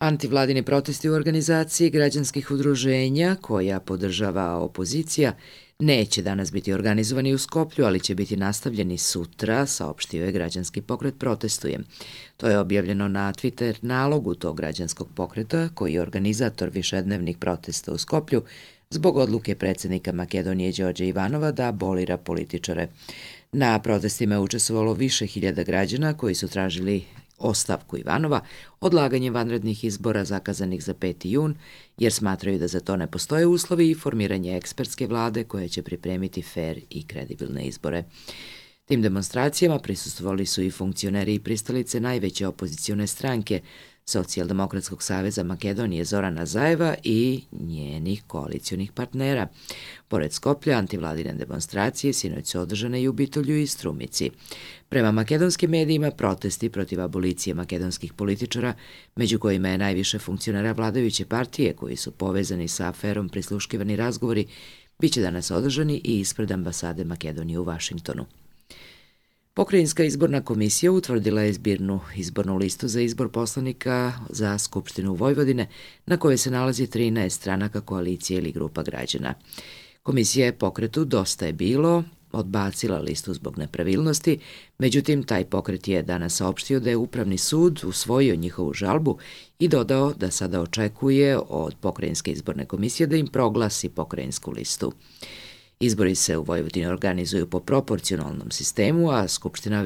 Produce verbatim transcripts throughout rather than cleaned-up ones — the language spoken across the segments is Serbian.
Antivladini protesti u organizaciji građanskih udruženja, koja podržava opozicija, neće danas biti organizovani u Skoplju, ali će biti nastavljeni sutra, saopštio je građanski pokret Protestujem. To je objavljeno na Twitter nalogu tog građanskog pokreta, koji je organizator višednevnih protesta u Skoplju, zbog odluke predsjednika Makedonije Đorđa Ivanova da abolira političare. Na protestima je učestvovalo više hiljada građana koji su tražili ostavku Ivanova, odlaganje vanrednih izbora zakazanih za peti jun, jer smatraju da za to ne postoje uslovi i formiranje ekspertske vlade koja će pripremiti fer i kredibilne izbore. Tim demonstracijama prisustvovali su i funkcioneri i pristalice najveće opozicione stranke Socijaldemokratskog saveza Makedonije Zorana Zajeva i njenih koalicionih partnera. Pored Skoplja, antivladine demonstracije sinoć su održane i u Bitolju i Strumici. Prema makedonskim medijima, protesti protiv abolicije makedonskih političara, među kojima je najviše funkcionera vladajuće partije koji su povezani sa aferom prisluškivani razgovori, biće danas održani i ispred ambasade Makedonije u Vašingtonu. Pokrajinska izborna komisija utvrdila je zbirnu izbornu listu za izbor poslanika za Skupštinu Vojvodine, na kojoj se nalazi trinaest stranaka koalicije ili grupa građana. Komisija je pokretu Dosta je bilo odbacila listu zbog nepravilnosti, međutim taj pokret je danas saopštio da je Upravni sud usvojio njihovu žalbu i dodao da sada očekuje od Pokrajinske izborne komisije da im proglasi pokrajinsku listu. Izbori se u Vojvodini organizuju po proporcionalnom sistemu, a Skupština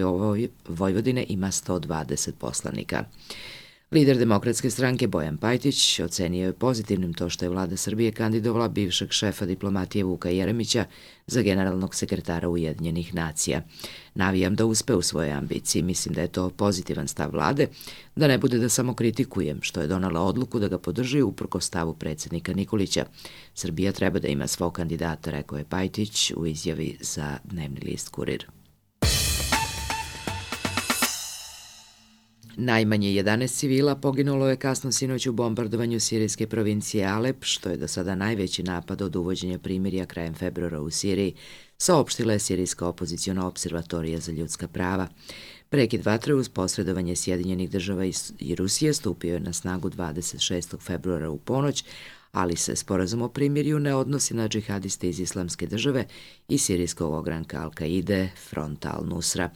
Vojvodine ima sto dvadeset poslanika. Lider Demokratske stranke Bojan Pajtić ocenio je pozitivnim to što je vlada Srbije kandidovala bivšeg šefa diplomatije Vuka Jeremića za generalnog sekretara Ujedinjenih nacija. Navijam da uspe u svojoj ambiciji. Mislim da je to pozitivan stav vlade, da ne bude da samo kritikujem što je donala odluku da ga podrži uprkos stavu predsjednika Nikolića. Srbija treba da ima svog kandidata, rekao je Pajtić u izjavi za dnevni list Kurir. Najmanje jedanaest civila poginulo je kasno sinoć u bombardovanju sirijske provincije Alep, što je do sada najveći napad od uvođenja primirja krajem februara u Siriji, saopštila je Sirijska opoziciona observatorija za ljudska prava. Prekid vatre uz posredovanje Sjedinjenih država i Rusije stupio je na snagu dvadeset šestog februara u ponoć, ali se sporazum o primirju ne odnosi na džihadiste iz Islamske države i sirijskog ogranka Al-Kaide, Fronta Al-Nusra.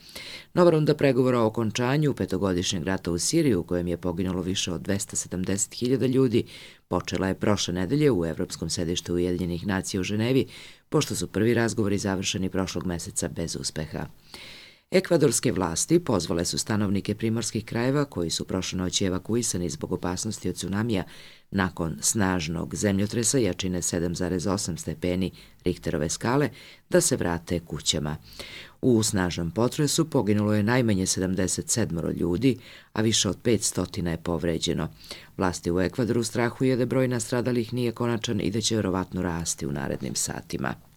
Nova runda pregovora o okončanju petogodišnjeg rata u Siriji, u kojem je poginulo više od dvesta sedamdeset hiljada ljudi, počela je prošle nedelje u Evropskom sedištu Ujedinjenih nacija u Ženevi, pošto su prvi razgovori završeni prošlog meseca bez uspeha. Ekvadorske vlasti pozvale su stanovnike primorskih krajeva koji su prošle noći evakuisani zbog opasnosti od tsunamija nakon snažnog zemljotresa jačine sedam zarez osam stepeni Richterove skale da se vrate kućama. U snažnom potresu poginulo je najmanje sedamdeset sedam ljudi, a više od petsto je povređeno. Vlasti u Ekvadoru strahuje da broj nastradalih nije konačan i da će verovatno rasti u narednim satima.